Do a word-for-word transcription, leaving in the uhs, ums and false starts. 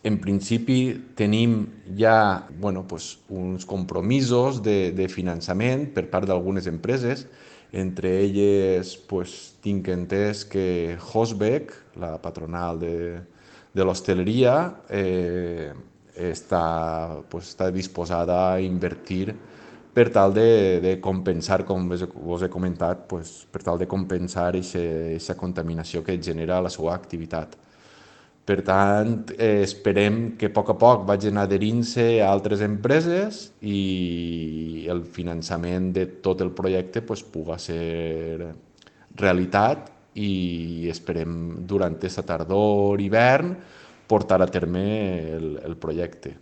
En principi tenim ja bueno, pues, uns compromisos de, de finançament per part d'algunes empreses, entre elles pues, tinc entès que Hosbeck, la patronal de, de l'hostaleria, eh, està, pues, està disposada a invertir per tal de, de compensar, com vos he comentat, pues, per tal de compensar aquesta contaminació que genera la seva activitat. Per tant, eh, esperem que a poc a poc vagin adherint-se a altres empreses i el finançament de tot el projecte pues, puga ser realitat i esperem durant aquesta tardor, hivern, portar a terme el, el projecte.